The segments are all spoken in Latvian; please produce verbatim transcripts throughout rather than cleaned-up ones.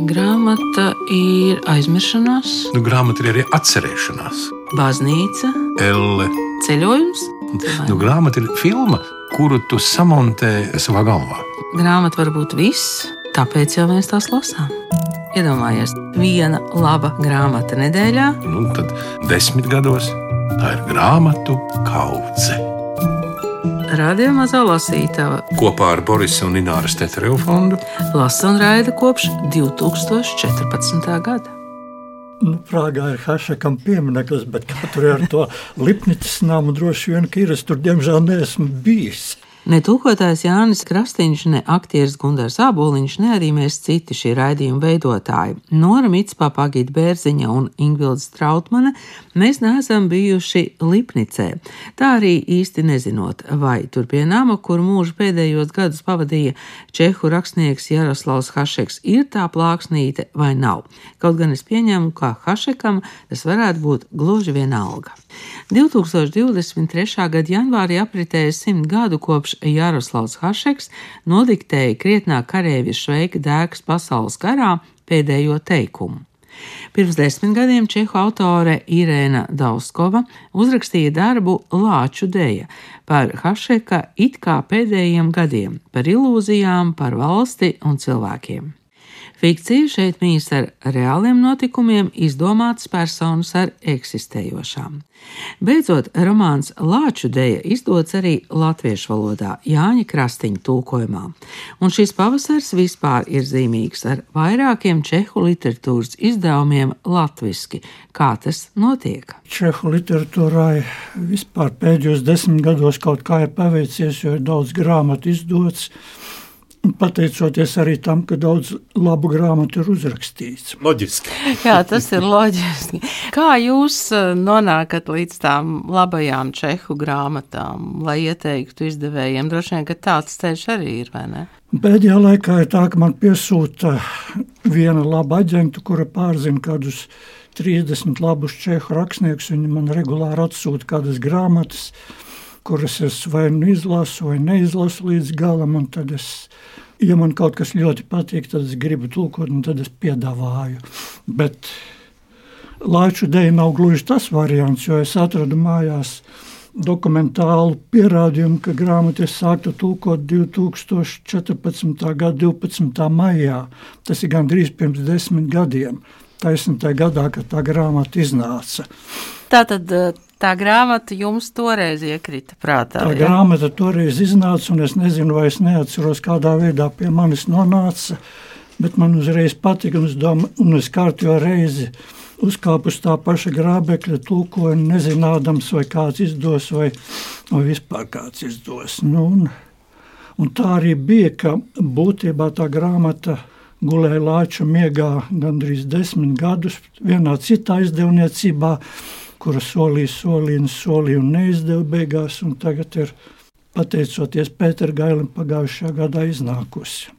Grāmata ir aizmiršanās, Nu, grāmata ir arī atcerēšanās. baznīca, Elle. ceļojums. Nu, grāmata ir filma, kuru tu samontē savā galvā. Grāmata var būt viss, tāpēc jau mēs tās lasām. Iedomājies, viena laba grāmata nedēļā. Nu, tad desmit gados tā ir grāmatu kaudze. Radio Mazā lasītava Kopā ar Borisa un Ināras Tetereva fondu lasa un raida kopš divi tūkstoši četrpadsmitā gada. Nu, Prāgā ir Hašekam piemineklis, bet kā tur ir ar to Lipnicas namu droši vien, ka ir, es tur diemžēl neesmu bijis. Ne tulkotājs Jānis Krastīņš, ne aktieris Gundars Āboliņš, ne arī mēs citi šī raidījuma veidotāji. Nora Mitspapa, Agita Bērziņa un Ingvilda Strautmane, mēs neesam bijuši Lipnicē. Tā arī īsti nezinot, vai tur pie nama, kur mūža pēdējos gadus pavadīja čehu rakstnieks Jaroslavs Hašeks, ir tā plāksnīte vai nav. Kaut gan es pieņemu, ka Hašekam tas varētu būt gluži vienalga. divi tūkstoši divdesmit trešā gada janvārī apritēja simt gadu kopš Jaroslavs Hašeks nodiktēja krietnā kareivja Šveika Dēkas pasaules karā pēdējo teikumu. Pirms desmit gadiem čehu autore Irēna Dauskova uzrakstīja darbu Lāču deja par Hašeka it kā pēdējiem gadiem, par ilūzijām, par valsti un cilvēkiem. Fikcija šeit mīs ar reāliem notikumiem, izdomātas personas ar eksistējošām. Beidzot, romāns Lāču deja izdots arī latviešu valodā Jāņa Krastiņa tulkojumā. Un šis pavasars vispār ir zīmīgs ar vairākiem čehu literatūras izdevumiem latviski. Kā tas notiek? Čehu literatūrai vispār pēdējos desmit gados kaut kā ir paveicies, jo ir daudz grāmatu izdots. Pateicoties arī tam, ka daudz labu grāmatu ir uzrakstīts. Loģiski. Jā, tas ir loģiski. Kā jūs nonākat līdz tām labajām čehu grāmatām, lai ieteiktu izdevējiem? Droši vien, ka tāds ceļš arī ir, vai ne? Pēdējā laikā ir tā, ka man piesūta viena laba aģenta, kura pārzina kādus trīsdesmit labus čehu rakstniekus. Viņi man regulāri atsūta kādas grāmatas, kuras es vai nu izlasu, vai neizlasu līdz galam, un tad es, ja man kaut kas ļoti patīk, tad es gribu tulkot, un tad es piedāvāju. Bet Lāču deja nav gluži tas variants, jo es atradu mājās dokumentālu pierādījumu, ka grāmatu es sāktu tulkot divi tūkstoši četrpadsmitā gada divpadsmitā maijā. Tas ir gandrīz pirms desmit gadiem, taisni tajā gadā, kad tā grāmata iznāca. Tātad tā grāmata jums toreiz iekrita prātā? Tā ja? grāmata toreiz iznāca, un es nezinu, vai es neatceros, kādā veidā pie manis nonāca, bet man uzreiz patika, un es, domā, un es kārtējo reizi uzkāpu uz tā paša grābekļa, tulkoju, nezinādams, vai kāds izdos, vai, vai vispār kāds izdos. Nu, un, un tā arī bija, ka būtībā tā grāmata gulēja Lāča miegā gandrīz desmit gadus vienā citā izdevniecībā, kura solīja, solīja, solīja un neizdeva beigās, un tagad ir, pateicoties Pētera Gailim, pagājušajā gadā iznākusi.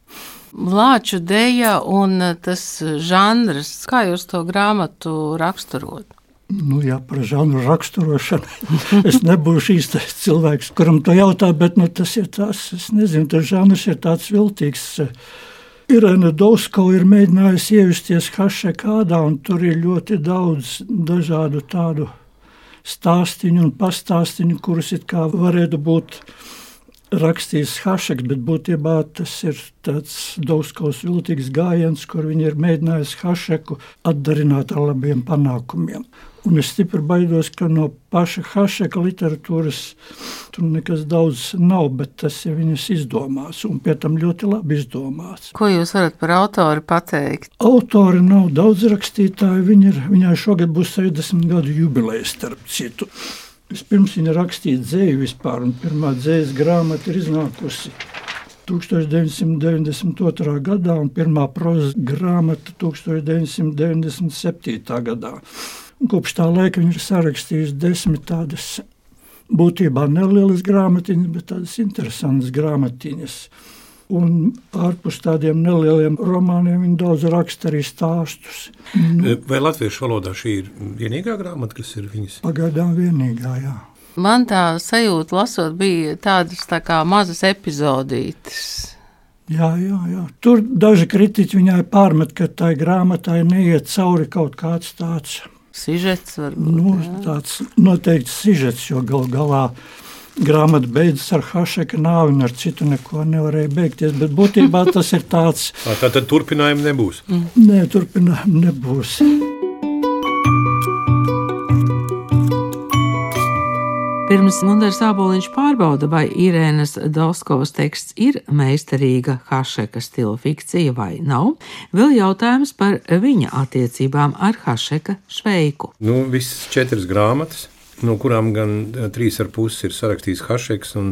Lāču deja un tas žanrs, kā jūs to grāmatu raksturot? Nu jā, par žanru raksturošanu es nebūšu īstais cilvēks, kuram to jautā, bet nu, tas ir tās, es nezinu, tas žanrs ir tāds viltīgs. Irēna Dauskova ir mēģinājusi ievesties Hašekādā, un tur ir ļoti daudz dažādu tādu stāstiņu un pastāstiņu, kurus it kā varētu būt rakstījis Hašeks, bet būtībā tas ir tāds Dauskovas viltīgs gājiens, kur viņi ir mēģinājusi Hašeku atdarināt ar labiem panākumiem. Un es stipri baidos, ka no paša Hašeka literatūras tur nekas daudz nav, bet tas ir viņas izdomāts, un pie tam ļoti labi izdomāts. Ko jūs varat par autori pateikt? Autori nav daudz rakstītāji, viņi ir, viņai šogad būs sešdesmit gadu jubileja starp citu. Vispirms viņa rakstīja dzēju vispār, un pirmā dzējas grāmata ir iznākusi tūkstoš deviņsimt deviņdesmit otrā gadā, un pirmā prozas grāmata tūkstoš deviņsimt deviņdesmit septītā gadā. Un kopš tā laika viņa ir sarakstījusi desmit tādas būtībā nelielas grāmatiņas, bet tādas interesantas grāmatiņas. Un ārpus tādiem nelieliem romāniem viņa daudz raksta arī stāstus. Nu, Vai latviešu valodā šī ir vienīgā grāmata, kas ir viņas? Pagaidām vienīgā, jā. Man tā sajūta lasot bija tādas tā kā mazas epizodītes. Jā, jā, jā. Tur daži kritiķi viņai pārmet, ka tai grāmatai neiet cauri kaut kāds tāds sižets. Varbūt, nu, jā. tāds noteikti sižets, jo gal galā grāmata beidzas ar Hašeka nāvi un ar citu neko nevarēja beigties, bet būtībā tas ir tāds... Tā tad turpinājumi nebūs? Mm. Nē, turpinājumi nebūs. Pirms Gundars Āboliņš pārbauda, vai Irēnas Dovskovas teksts ir meistarīga Hašeka stila fikcija vai nav, vēl jautājums par viņa attiecībām ar Hašeka šveiku. Nu, visas četras grāmatas, no kurām gan trīs ar pusi ir sarakstījis Hašeks, un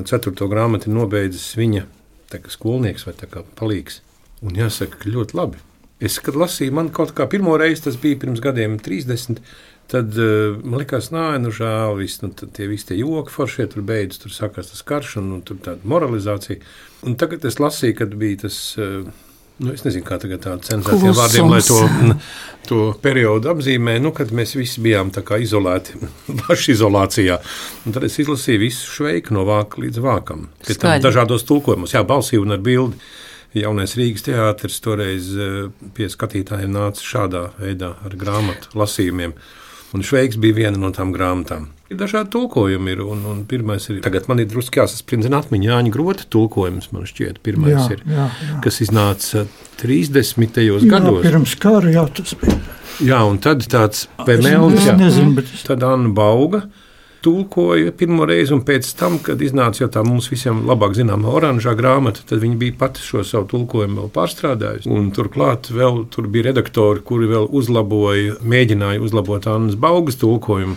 ceturto grāmatu ir nobeidzis viņa tā kā skolnieks vai tā kā palīgs. Un jāsaka, ļoti labi. Es, kad lasīju, man kaut kā pirmo reizi, tas bija pirms gadiem trīsdesmit, tad uh, man likās, nā, nu žēl, viss, nu, tie visi tie joki foršie tur beidz, tur sākās tas karš un nu, tur tāda moralizācija. Un tagad es lasīju, kad bija tas, uh, nu, es nezinu, kā tagad tāda cenzētiem vārdiem, lai to, to periodu apzīmē, nu, kad mēs visi bijām tā kā izolēti, pašizolācijā. Un tad es izlasīju visu šveiku no vāka līdz vākam. Pie tam dažādos tulkojumos, jā, balsī un ar bildi. Jaunais Rīgas teātris toreiz pie skatītājiem nāca šādā veidā ar grāmatu lasījumiem. Un šveiks bija viena no tām grāmatām. Ir dažādi tulkojumi, ir, un, un pirmais ir, tagad man ir druski jāsasprindzina atmiņa Jāņa Grota tulkojums, man šķiet, pirmais jā, ir, jā, jā. kas iznāca trīsdesmitajos gados. Jā, pirms kara, jā, tas bija. Jā, un tad tāds Pemēlis, jā, nezinu, bet... tad Anna Bauga tulkoja pirmo reizi, un pēc tam, kad iznāca jau tā mums visiem labāk zināmā oranžā grāmata, tad viņi bija pati šo savu tulkojumu vēl pārstrādājusi. Un turklāt vēl tur bija redaktori, kuri vēl uzlaboja, mēģināja uzlabot Annas Baugas tulkojumu,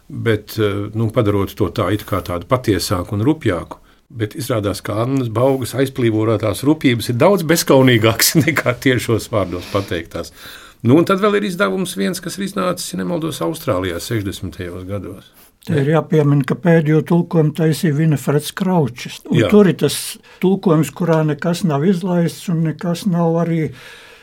bet, nu, padarot to tā it kā tādu patiesāku un rupjāku. Bet izrādās, ka Annas Baugas aizplīvorotās rupjības ir daudz bezkaunīgākas nekā tiešos vārdos pateiktās. Nu, un tad vēl ir izdevums viens, kas ir iznācis, ja nemaldos, Austrālijā sešdesmitajos gados. Te ir jāpiemina, ka pēdējo tulkojumu taisīja Vinifreds Kraučs. Tur ir tas tulkojums, kurā nekas nav izlaists un nekas nav arī...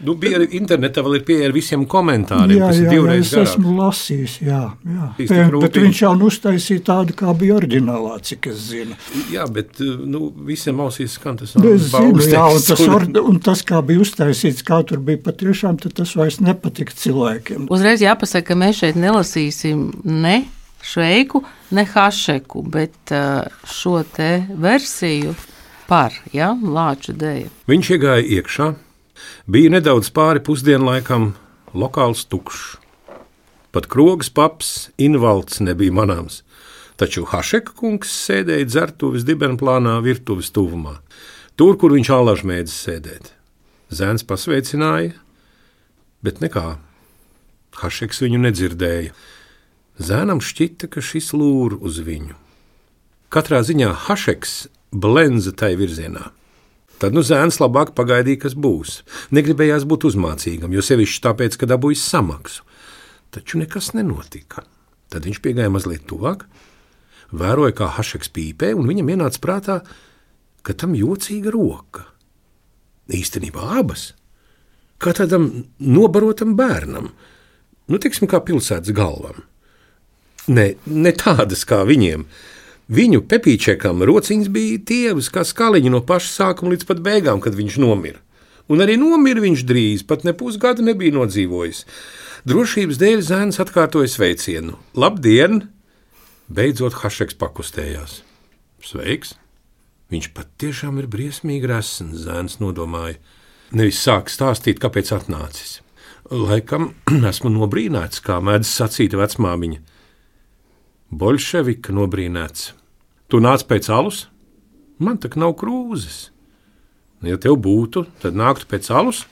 Nu, bija arī internetā vēl ir pieeja ar visiem komentāriem, jā, kas ir jā, divreiz jā, es esmu lasījis, jā, jā. Bet, bet viņš jau uztaisīja tādu, kā bija oriģinālā, cik es zinu. Jā, bet, nu, visiem ausīs skan tas Annas Baugas teksts. Jā, un tas, or, un tas, kā bija uztaisīts, kā tur bija patiešām, tad tas vairs nepatika cilvēkiem. Uzreiz jāpasaka, ka mēs šeit nelasīsim ne šveiku, ne Hašeku, bet šo te versiju par, ja, Lāča deja. Viņš iegāja iekšā, bija nedaudz pāri pusdienlaikam, lokāls tukšs. Pat krogas paps, invalds nebija manāms, taču Hašeka kungs sēdēja dzertuves dibenplānā virtuves tuvumā, tur, kur viņš allaž mēdz sēdēt. Zēns pasveicināja, bet nekā. Hašeks viņu nedzirdēja. Zēnam šķita, ka šis lūr uz viņu. Katrā ziņā Hašeks blenza tai virzienā. Tad nu zēns labāk pagaidīja, kas būs. Negribējās būt uzmācīgam, jo sevišķi tāpēc, ka dabūjis samaksu. Taču nekas nenotika. Tad viņš piegāja mazliet tuvāk, vēroja, kā Hašeks pīpē, un viņam ienāca prātā, ka tam jocīga roka. Īstenībā abas. Kā tādam nobarotam bērnam. Nu, tiksim, kā pilsētas galvam. Ne, ne tādas kā viņiem. Viņu Pepīčekam rociņas bija tievas kā skaliņi no paša sākuma līdz pat beigām, kad viņš nomira. Un arī nomira viņš drīz, pat ne pusgadu nebija nodzīvojis. Drošības dēļ zēns atkārtoja sveicienu. Labdien! Beidzot Hašeks pakustējās. Sveiks! Viņš pat tiešām ir briesmīgi resns, zēns nodomāja. Nevis sāk stāstīt, kāpēc atnācis. Laikam esmu nobrīnēts, kā mēdz sacīt vecmāmiņa. Boļševika nobrīnēts. Tu nāc pēc alus? Man tak nav krūzes. Ja tev būtu, tad nāktu pēc alus?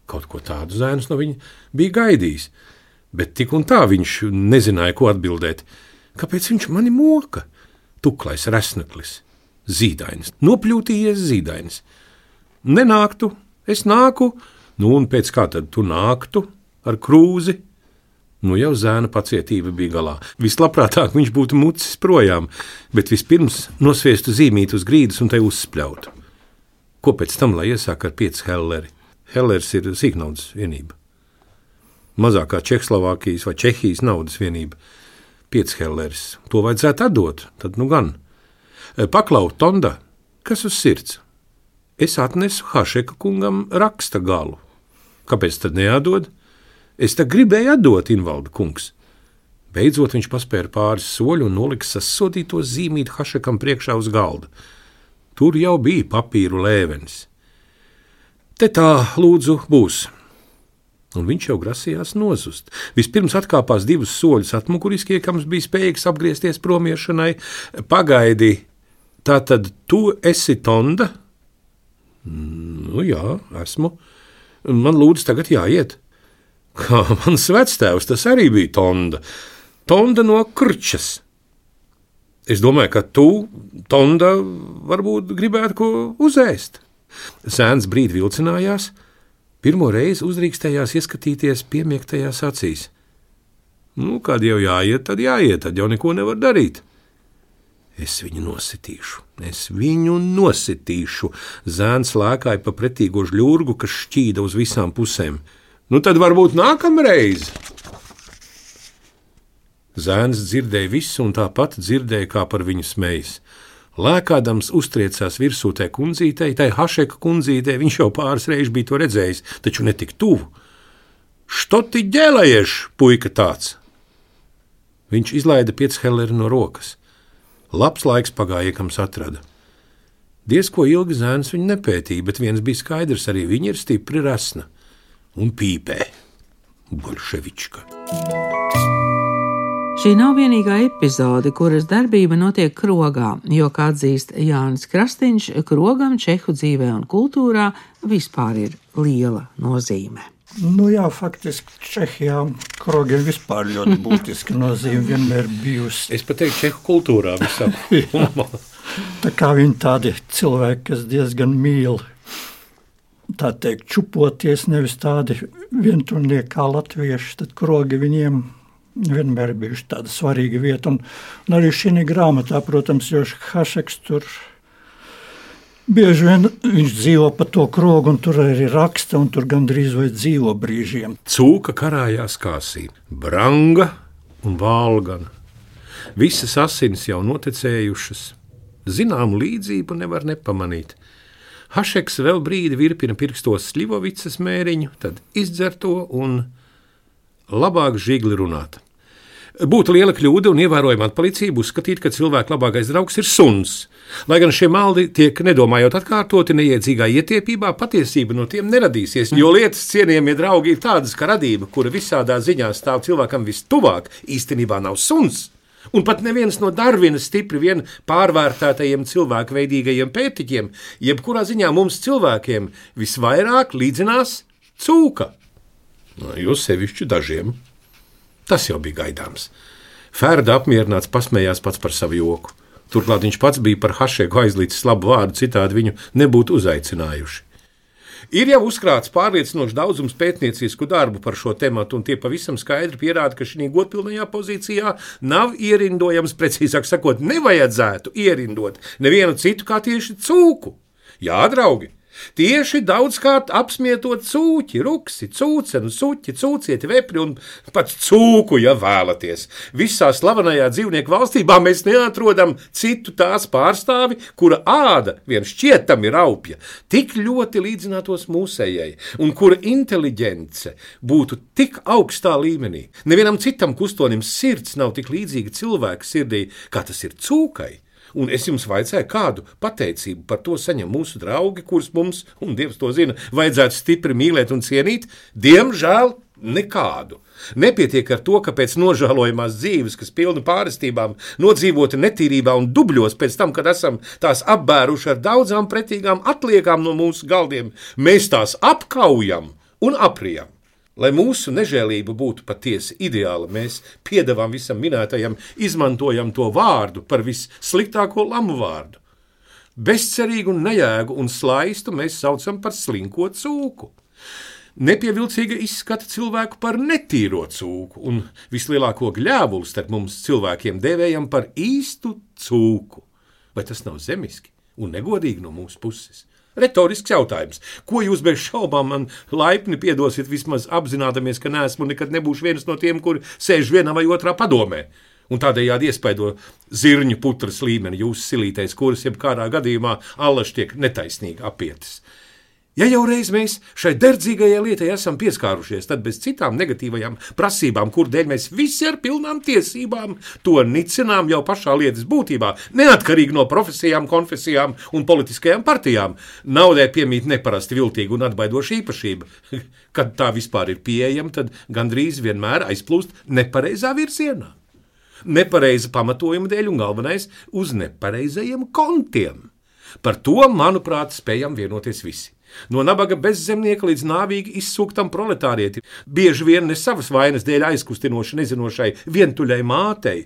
Kaut ko tādu zēns no viņa bija gaidījis, bet tik un tā viņš nezināja, ko atbildēt. Kāpēc viņš mani moka? Tuklais resneklis, zīdainis, nopļūtījies zīdainis. Nenāktu, es nāku, nu un pēc kā tad tu nāktu ar krūzi? Nu jau zēna pacietība bija galā. Vislabprātāk viņš būtu mucis projām, bet vispirms nosviestu zīmīt uz grīdas un te uzspļautu. Ko pēc tam, lai iesāk ar pieci helleri? Hellers ir sīknaudas vienība. Mazākā Čehslovākijas vai Čehijas naudas vienība. Pieci helleris. To vajadzētu atdot, tad nu gan. Paklau, Tonda, Kas uz sirds? Es atnesu Hašeka kungam raksta galu. Kāpēc tad neatdod? Es tā gribēju atdot, invalda kungs. Beidzot viņš paspēra pāris soļu un nolika sasodīto zīmīt Hašekam priekšā uz galda. Tur jau bija papīru lēvenis. Te tā, lūdzu, būs. Un viņš jau grasījās nozust. Vispirms atkāpās divus soļus atmuguriski, iekams bija spējīgs apgriezties promiešanai. Pagaidi, tā tad tu esi Tonda? Nu jā, esmu. Man lūdzu tagad jāiet. Kā mans vectēvs, tas arī bija Tonda. Tonda no Krčas. Es domāju, ka tu, Tonda, varbūt gribētu ko uzēst. Sēns brīdi vilcinājās, pirmo reizi uzdrīkstējās ieskatīties piemiegtajās acīs. Nu, kad jau jāiet, tad jāiet, tad jau neko nevar darīt. Es viņu nositīšu, es viņu nositīšu. Zēns lēkāja pa pretīgo žļurgu, kas šķīda uz visām pusēm. Nu, tad varbūt nākamreiz. Zēns dzirdēja visu un tāpat dzirdēja, kā par viņu smejas. Lēkādams uztriecās virsūtē kundzītei, tai Hašeka kundzītei, viņš jau pāris reizes bija to redzējis, taču ne tik tuvu. Što ti ģēlējieš, puika tāds? Viņš izlaida piechelleri no rokas. Labs laiks pagāja, iekams atrada. Diez ko ilgi zēns viņu nepētīja, bet viens bija skaidrs, arī viņa ir stipri resna un pīpē. Bolševička. Šī nav vienīgā epizode, kuras darbība notiek Krogā, jo, kā atzīst Jānis Krastīņš, Krogam čehu dzīvē un kultūrā vispār ir liela nozīme. Nu jā, faktiski Čehijā Krogiem vispār ļoti būtiska nozīme vienmēr bijusi. Es pat teiktu Čehu kultūrā visam. Tā kā viņi tādi cilvēki, kas diezgan mīl, tā teikt, čupoties, nevis tādi vienturnieki kā latvieši, tad Krogi viņiem vienmēr bijuši tāda svarīga vieta. Un, un arī šī grāmatā, protams, jo Hašeks tur bieži vien viņš dzīvo pa to Krogu, un tur arī raksta, un tur gandrīz vai dzīvo brīžiem. Cūka karājās kāsī, Branga un Valgana. Visas asinis jau notekējušas. Zināmu līdzību nevar nepamanīt. Hašeks vēl brīdi virpina pirkstos Sļivovicas mēriņu, tad izdzer to un labāk žigli runāt. Būtu liela kļūda un ievērojama atpalicība uzskatīt, ka cilvēka labākais draugs ir suns. Lai gan šie maldi tiek nedomājot atkārtoti neiedzīgā ietiepībā, patiesība no tiem neradīsies, jo lietas cienījamie draugi ir tādas, ka radība, kura visādā ziņā stāv cilvēkam vistuvāk, īstenībā nav suns. Un pat neviens no Darvina stipri vien pārvērtētajiem cilvēkveidīgajiem pētiķiem, jebkurā ziņā mums cilvēkiem visvairāk līdzinās cūka. Jo sevišķi dažiem. Tas jau bija gaidāms. Ferda apmierināts pasmējās pats par savu joku. Turklāt viņš pats bija par Hašeku aizlīdis labu vārdu, citādi viņu nebūtu uzaicinājuši. Ir jau uzkrāts pārliecinošs daudzums pētniecisku darbu par šo tematu, un tie pavisam skaidri pierāda, ka šī godpilnajā pozīcijā nav ierindojams, precīzāk sakot, nevajadzētu ierindot nevienu citu kā tieši cūku. Jā, draugi! Tieši daudzkārt apsmietot cūķi, ruksi, cūcenu, suķi, cūcieti, vepri un pat cūku, ja vēlaties. Visā slavenajā dzīvnieku valstībā mēs neatrodam citu tās pārstāvi, kura āda vien šķietam ir aupja, tik ļoti līdzinātos mūsējai, un kura inteliģence būtu tik augstā līmenī. Nevienam citam kustonim sirds nav tik līdzīga cilvēka sirdī, kā tas ir cūkai. Un es jums vaicāju, kādu pateicību par to saņem mūsu draugi, kurus mums, un Dievs to zina, vajadzētu stipri mīlēt un cienīt? Diemžēl nekādu. Nepietiek ar to, ka pēc nožēlojamās dzīves, kas pilna pārestībām, nodzīvota netīrībā un dubļos pēc tam, kad esam tās apbēruši ar daudzām pretīgām atliekām no mūsu galdiem, mēs tās apkaujam un aprijam. Lai mūsu nežēlība būtu patiesi ideāla, mēs piedevām visam minētajam, izmantojam to vārdu par vissliktāko lamu vārdu. Bezcerīgu un nejēgu un slaistu mēs saucam par slinko cūku. Nepievilcīga izskata cilvēku par netīro cūku, un vislielāko gļēvulu starp mums cilvēkiem dēvējam par īstu cūku. Vai tas nav zemiski un negodīgi no mūsu puses? Retorisks jautājums. Ko jūs bez šaubām man laipni piedosiet, vismaz apzinādamies, ka neesmu nekad nebūšu viens no tiem, kuri sēž vienā vai otrā padomē? un tādējādi iespaido zirņu putras līmeni jūsu silītēs, kuras jebkādā gadījumā allaž tiek netaisnīgi apietas. Ja jau reiz mēs šai derdzīgajai lietai esam pieskārušies, tad bez citām negatīvajām prasībām, kur dēļ mēs visi ar pilnām tiesībām to nicinām jau pašā lietas būtībā, neatkarīgi no profesijām, konfesijām un politiskajām partijām, naudai piemīt neparasti viltīga un atbaidoša īpašība. Kad tā vispār ir pieejama, tad gandrīz vienmēr aizplūst nepareizā virzienā. Nepareiza pamatojuma dēļ un galvenais uz nepareizajiem kontiem. Par to, manuprāt, spējam vienoties visi. No nabaga bezzemnieka līdz nāvīgi izsūktam proletārieti, bieži vien ne savas vainas dēļ aizkustinoši nezinošai vientuļai mātei,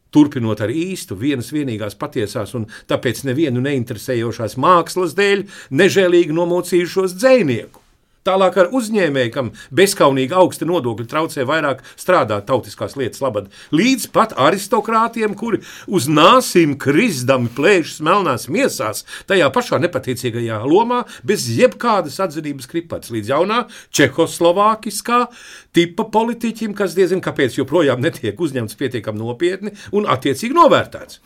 turpinot ar īstu vienas vienīgās patiesās un tāpēc nevienu neinteresējošās mākslas dēļ nežēlīgi nomocījušos dzejnieku. Tālāk ar uzņēmēju, kam bezkaunīgi augsti nodokļi traucē vairāk strādāt tautiskās lietas labad, līdz pat aristokrātiem, kuri uz nāsīm krizdami plēšas melnās miesās, tajā pašā nepateicīgajā lomā, bez jebkādas atzinības kripats, līdz jaunā čehoslovākiskā tipa politiķim, kas diezin kāpēc joprojām netiek uzņemts pietiekam nopietni un attiecīgi novērtēts.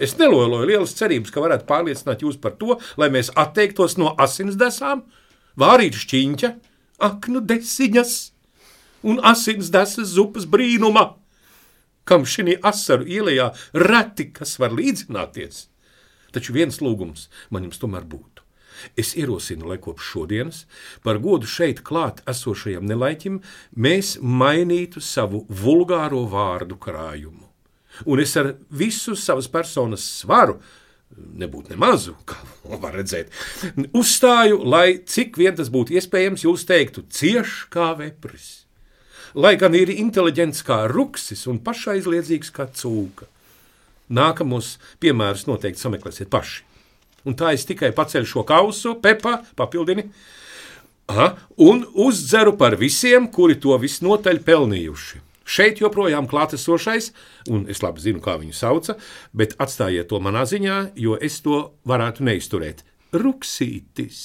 Es neloloju lielas cerības, ka varētu pārliecināt jūs par to, lai mēs atteiktos no asinsdesām, vārīt šķiņķa, aknu desiņas un asinsdesas zupas brīnuma, kam šī asaru ielējā reti kas var līdzināties. Taču viens lūgums man jums tomēr būtu. Es ierosinu, lai kopš šodienas par godu šeit klāt esošajam nelaiķim mēs mainītu savu vulgāro vārdu krājumu. Un es ar visu savas personas svaru, nebūt nemazu, kā var redzēt, uzstāju, lai cik vien tas būtu iespējams, jūs teiktu cieš kā vepris, lai gan ir inteliģents kā ruksis un pašaizliedzīgs kā cūka. Nākamos piemērus noteikti sameklēsiet paši. Un tā es tikai paceļu šo kausu, Pepa, papildini, aha, un uzdzeru par visiem, kuri to visnotaļ pelnījuši. Šeit joprojām klātesošais, un es labi zinu, kā viņu sauca, bet atstājiet to manā ziņā, jo es to varētu neizturēt. Ruksītis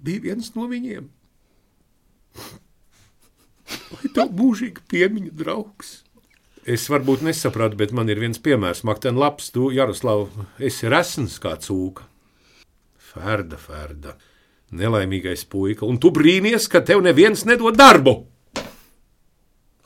bija viens no viņiem. Lai tev mūžīgi piemiņa draugs. Es varbūt nesapratu, bet man ir viens piemērs. Makten labs, tu, Jaroslav, esi resns kā cūka. Ferda, Ferda, nelaimīgais puika, un tu brīnies, ka tev neviens nedod darbu.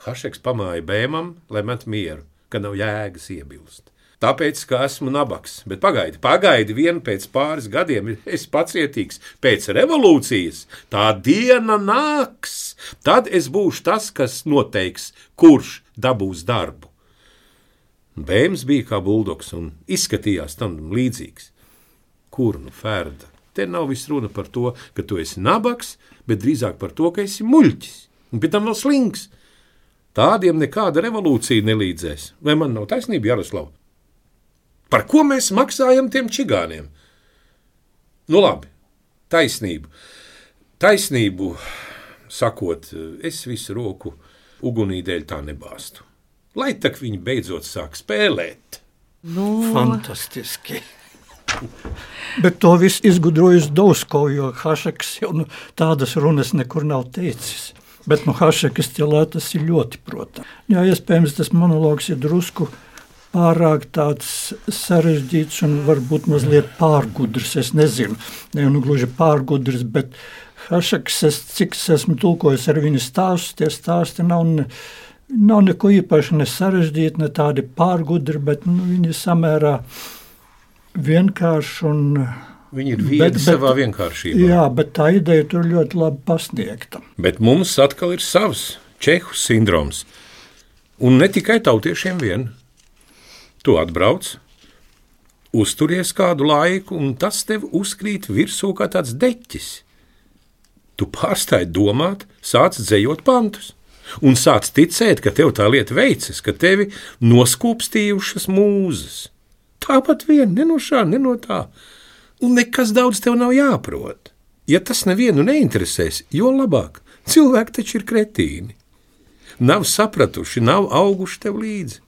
Hašeks pamāja bēmam, lai met mieru, ka nav jēgas iebilst. Tāpēc, ka esmu nabaks, bet pagaidi, pagaidi vien pēc pāris gadiem, es pacietīgs, pēc revolūcijas, tā diena nāks, tad es būšu tas, kas noteiks, kurš dabūs darbu. Bēms bija kā buldogs un izskatījās tam līdzīgs. Kur nu, Ferda? Te nav viss runa par to, ka tu esi nabaks, bet drīzāk par to, ka esi muļķis, un pie tam vēl slings. Tādiem nekāda revolūcija nelīdzēs. Vai man nav taisnība, Jaroslav? Par ko mēs maksājam tiem čigāniem? Nu labi, taisnību. Taisnību, sakot, es visu roku ugunī dēļ tā nebāstu. Lai tak viņi beidzot sāk spēlēt. Nu... Fantastiski. Bet to viss izgudrojas Dausko, jo Hašeks jau nu, tādas runas nekur nav teicis. Bet no Hašeka stilā tas ir ļoti protams. Jā, iespējams, tas monologs ir drusku pārāk tāds sarežģīts un varbūt mazliet pārgudrs, es nezinu. Ne, nu gluži pārgudrs, bet Hašeks, es, cik es esmu tulkojis ar viņu stāstus, tie stāsti nav, ne, nav neko īpaši ne sarežģīti, ne tādi pārgudri, bet nu, viņi samērā vienkārši un... Viņi ir viedi bet, savā bet, vienkāršībā. Jā, bet tā ideja tur ļoti labi pasniegta. Bet mums atkal ir savs čehu sindroms. Un ne tikai tautiešiem vien. Tu atbrauc, uzturies kādu laiku, un tas tev uzkrīt virsū kā tāds deķis. Tu pārstāji domāt, sāc dzejot pantus. Un sāc ticēt, ka tev tā lieta veicas, ka tevi noskūpstījušas mūzes. Tāpat vien, ne no šā, ne no tā. Un nekas daudz tev nav jāprot. Ja tas nevienu neinteresēs, jo labāk. Cilvēki taču ir kretīni. Nav sapratuši, nav auguši tev līdzi.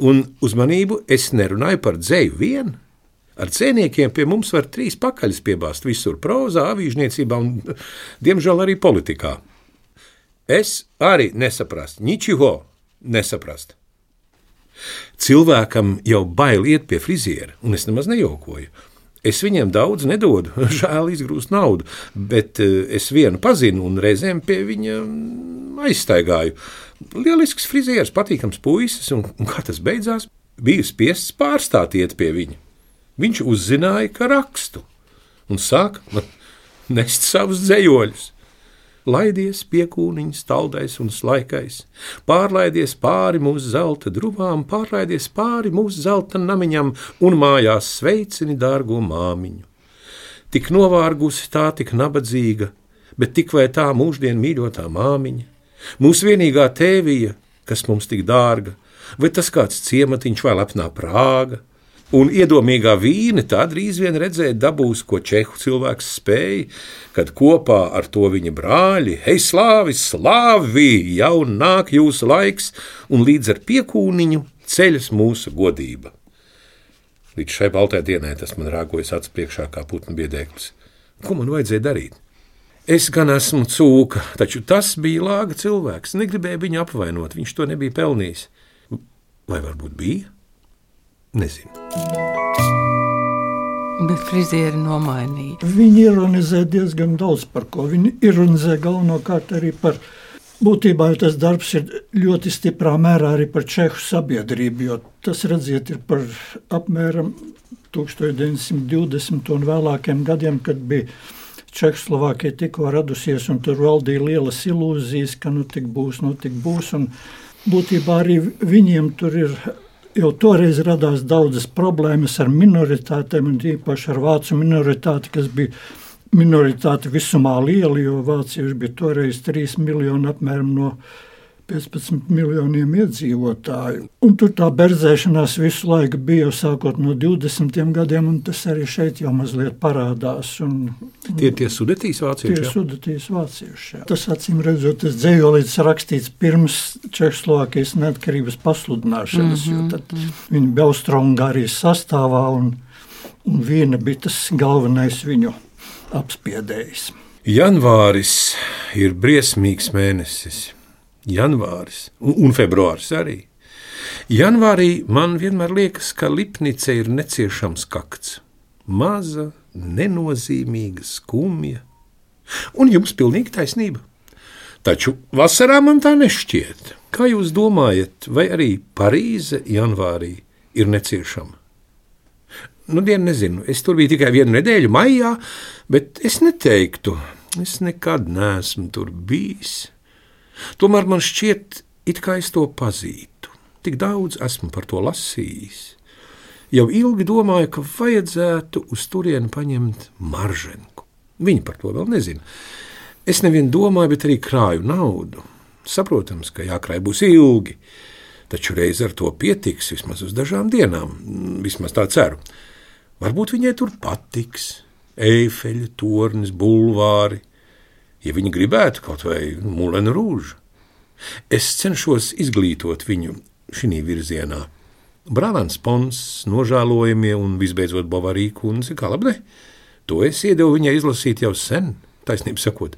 Un uzmanību es nerunāju par dzeju vien. Ar dzejniekiem pie mums var trīs pakaļas piebāzt visur prozā, avīžniecībā un, diemžēl, arī politikā. Es arī nesaprastu ničiho, nesaprast. Cilvēkam jau bail iet pie friziera, un es nemaz nejokoju. Es viņiem daudz nedodu, žēl izgrūst naudu, bet es vienu pazinu un reizēm pie viņa aizstaigāju. Lielisks frizieris, patīkams puisis, un, un kā tas beidzās, biju spiests pārstāt iet pie viņa. Viņš uzzināja, ka rakstu, un sāk nest savus dzejoļus. Laidies piekūniņš, taldais un slaikais, pārlaidies pāri mūsu zelta druvām, pārlaidies pāri mūsu zelta namiņam un mājās sveicini dārgo māmiņu. Tik novārgusi tā, tik nabadzīga, bet tik vai tā mūždien mīļotā māmiņa, mūsu vienīgā tēvija, kas mums tik dārga, vai tas kāds ciematiņš vai lepnā Prāga, un iedomīgā vīne tā drīz vien redzēt dabūs, ko čehu cilvēks spēja, kad kopā ar to viņa brāļi, hei slāvi, slāvi, jau nāk jūsu laiks, un līdz ar piekūniņu ceļas mūsu godība. Līdz šai baltai dienai tas man rāgojas acu priekšā kā putnu biedēklis. Ko man vajadzēja darīt? Es gan esmu cūka, taču tas bija lāga cilvēks, negribēja viņu apvainot, viņš to nebija pelnījis. Vai varbūt bija? Nezinu. Bet frizieri nomainīja. Viņi ironizē diezgan daudz par ko. Viņi ironizē galvenokārt arī par, būtībā tas darbs ir ļoti stiprā mērā arī par čehu sabiedrību, jo tas, redziet, ir par apmēram tūkstoš deviņsimt divdesmito un vēlākiem gadiem, kad bija Čehoslovākija tikko radusies, un tur valdīja lielas ilūzijas, ka nu tik būs, nu tik būs, un būtībā arī viņiem tur ir. Jau toreiz radās daudzas problēmas ar minoritātēm, un īpaši ar vācu minoritāti, kas bija minoritāte visumā liela, jo vācieši bija toreiz trīs miljoni apmēram no piecpadsmit miljoniem iedzīvotāju. Un tur tā berzēšanās visu laiku bija jau sākot no divdesmitiem gadiem, un tas arī šeit jau mazliet parādās. Un, un tie ir tie Sudetijas vācieši? Tie ir Sudetijas vācieši, jā. Tas acīm redzot, tas dzējolītis rakstīts pirms Čehoslovākijas neatkarības pasludināšanas, mm-hmm. jo tad viņi bija Austro-Ungārijas sastāvā, un, un viena bija tas galvenais viņu apspiedējs. Janvāris ir briesmīgs mēnesis. Janvāris un, un februāris arī. Janvārī man vienmēr liekas, ka Lipnice ir neciešams kakts. Maza, nenozīmīga, skumja. Un jums pilnīgi taisnība. Taču vasarā man tā nešķiet. Kā jūs domājat, vai arī Parīze janvārī ir neciešama? Nu, dienu nezinu, es tur biju tikai vienu nedēļu maijā, bet es neteiktu, es nekad neesmu tur bijis. Tomēr man šķiet, it kā es to pazītu. Tik daudz esmu par to lasījis. Jau ilgi domāju, ka vajadzētu uz turieni paņemt Marženku. Viņi par to vēl nezina. Es nevien domāju, bet arī krāju naudu. Saprotams, ka jākrāj būs ilgi, taču reiz ar to pietiks vismaz uz dažām dienām. Vismaz tā ceru. Varbūt viņai tur patiks. Eifeļa, tornis, bulvāri. Ja viņi gribētu kaut vai Moulin Rouge. Es cenšos izglītot viņu šī virzienā. Brālēns Pons, nožēlojamie un visbeidzot Bovary kundze, kā labi ne? To es iedevu viņai izlasīt jau sen, taisnību sakot,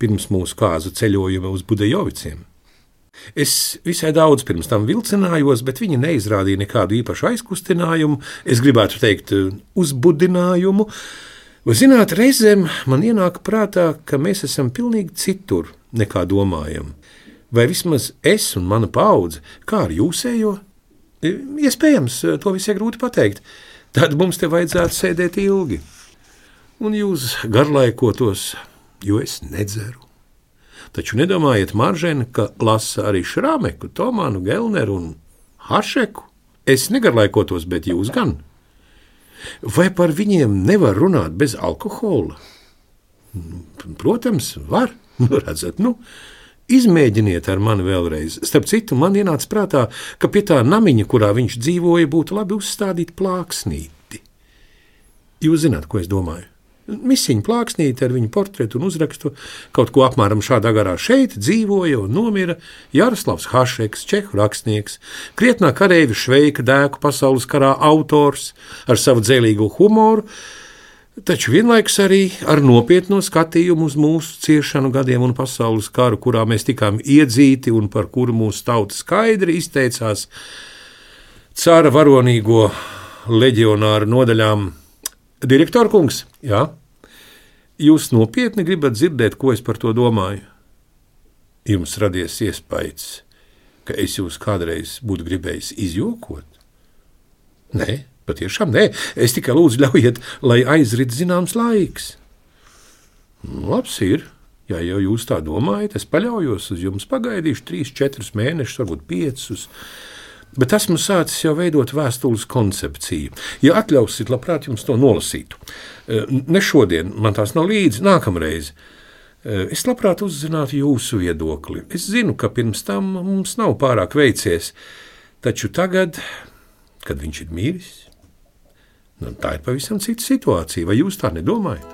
pirms mūsu kāzu ceļojuma uz Budejoviciem. Es visai daudz pirms tam vilcinājos, bet viņi neizrādīja nekādu īpašu aizkustinājumu, es gribētu teikt uzbudinājumu. Vai zināt, reizēm man ienāk prātā, ka mēs esam pilnīgi citur nekā domājam. Vai vismaz es un mana paudze, kā ar jūsējo? Iespējams, to visai grūti pateikt. Tad mums te vajadzētu sēdēt ilgi. Un jūs garlaikotos, jo es nedzeru. Taču nedomājiet, Maržena, ka lasa arī Šrameku, Tomānu, Gelneru un Hašeku. Es negarlaikotos, bet jūs gan. Vai par viņiem nevar runāt bez alkohola? Protams, var. Nu, redzat, nu, izmēģiniet ar mani vēlreiz. Starp citu, man ienāca prātā, ka pie tā namiņa, kurā viņš dzīvoja, būtu labi uzstādīt plāksnīti. Jūs zināt, ko es domāju? Misiņa plāksnīti ar viņu portretu un uzrakstu, kaut ko apmēram šādā garā. Šeit dzīvoja un nomira Jaroslavs Hašeks, čehu rakstnieks, krietnā kareivja Šveika dēku pasaules karā autors ar savu dzēlīgo humoru, taču vienlaikus arī ar nopietno skatījumu uz mūsu ciešanu gadiem un pasaules karu, kurā mēs tikām iedzīti un par kuru mūsu tauta skaidri izteicās cara varonīgo leģionāru nodaļām. Direktor kungs, jā, jūs nopietni gribat dzirdēt, ko es par to domāju? Jums radies iespējas, ka es jūs kādreiz būtu gribējis izjokot? Nē. Patiešām nē, es tikai lūdzu ļaujiet, lai aizrit zināms laiks. Labs ir, ja jau jūs tā domājat, es paļaujos uz jums, pagaidīšu trīs, četrus mēnešus, varbūt piecus, bet esmu sācis jau veidot vēstules koncepciju. Ja atļausit, labprāt jums to nolasītu. Ne šodien, man tās nav līdzi, nākamreiz. Es labprāt uzzinātu jūsu viedokli. Es zinu, ka pirms tam mums nav pārāk veicies, taču tagad, kad viņš ir miris, nu, tā ir pavisam cita situācija. Vai jūs tā nedomājat?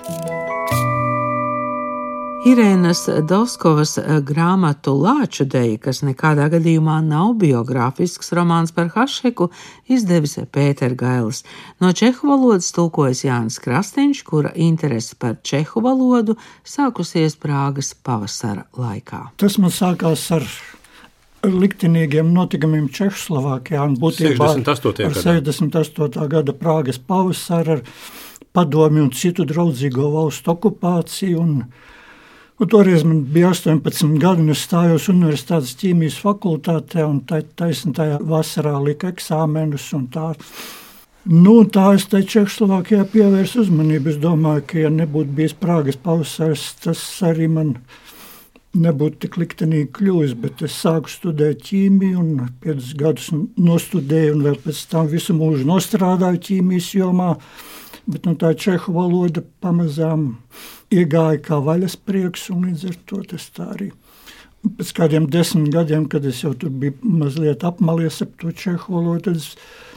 Irēnas Dovskovas grāmatu Lāču deja, kas nekādā gadījumā nav biogrāfisks romāns par Hašeku, izdevis Pēter Gailis. No čehu valodas tulkojas Jānis Krastīņš, kura interese par čehu valodu sākusies Prāgas pavasara laikā. Tas man sākās ar liktenīgiem notikumiem Čehoslovākijā un būtībā ar sešdesmit astotā gada Prāgas pavasaru, ar padomju un citu draudzīgo valstu okupāciju. Un, un toreiz man bija astoņpadsmit gadi, un es stājos universitātes ķīmijas fakultātē, un taisn tajā vasarā lika eksāmenus un tā. Nu, tā es te Čehoslovākijā pievērsu uzmanību. Es domāju, ka ja nebūtu bijis Prāgas pavasars, tas arī man nebūtu tik liktenīgi kļuvis, bet es sāku studēt ķīmiju un piecus gadus nostudēju un vēl pēc tam visu mūžu nostrādāju ķīmijas jomā, bet nu, tā čehu valoda pamazām iegāja kā vaļasprieks un līdz ar to tas tā arī. Pēc kādiem desmit gadiem, kad es jau tur biju mazliet apmalies ap to čehu valodu, tad, es,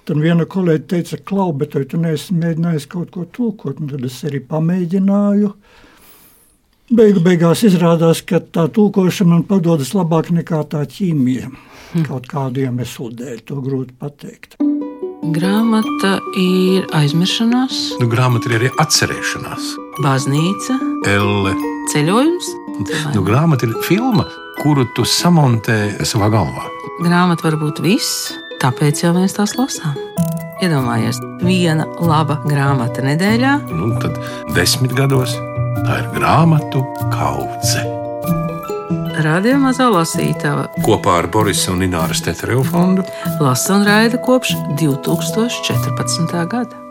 tad viena kolēģi teica, Klau, bet vai tu neesi mēģinājis kaut ko tulkot, un tad es arī pamēģināju. Beigu beigās izrādās, ka tā tulkošana man padodas labāk nekā tā ķīmija. Hmm. Kaut kādu iemeslu dēļ, to grūti pateikt. Grāmata ir aizmiršanās. Nu, grāmata ir arī atcerēšanās. Baznīca. Elle. Ceļojums. Nu, grāmata ir filma, kuru tu samontē savā galvā. Grāmata var būt viss, tāpēc jau mēs tās lasām. Iedomājies, viena laba grāmata nedēļā. Nu, tad desmit gados tā ir grāmatu kaudze. Radio Mazā lasītava kopā ar Borisa un Ināras Teterevu fondu lasa un raida kopš divi tūkstoši četrpadsmitā gada.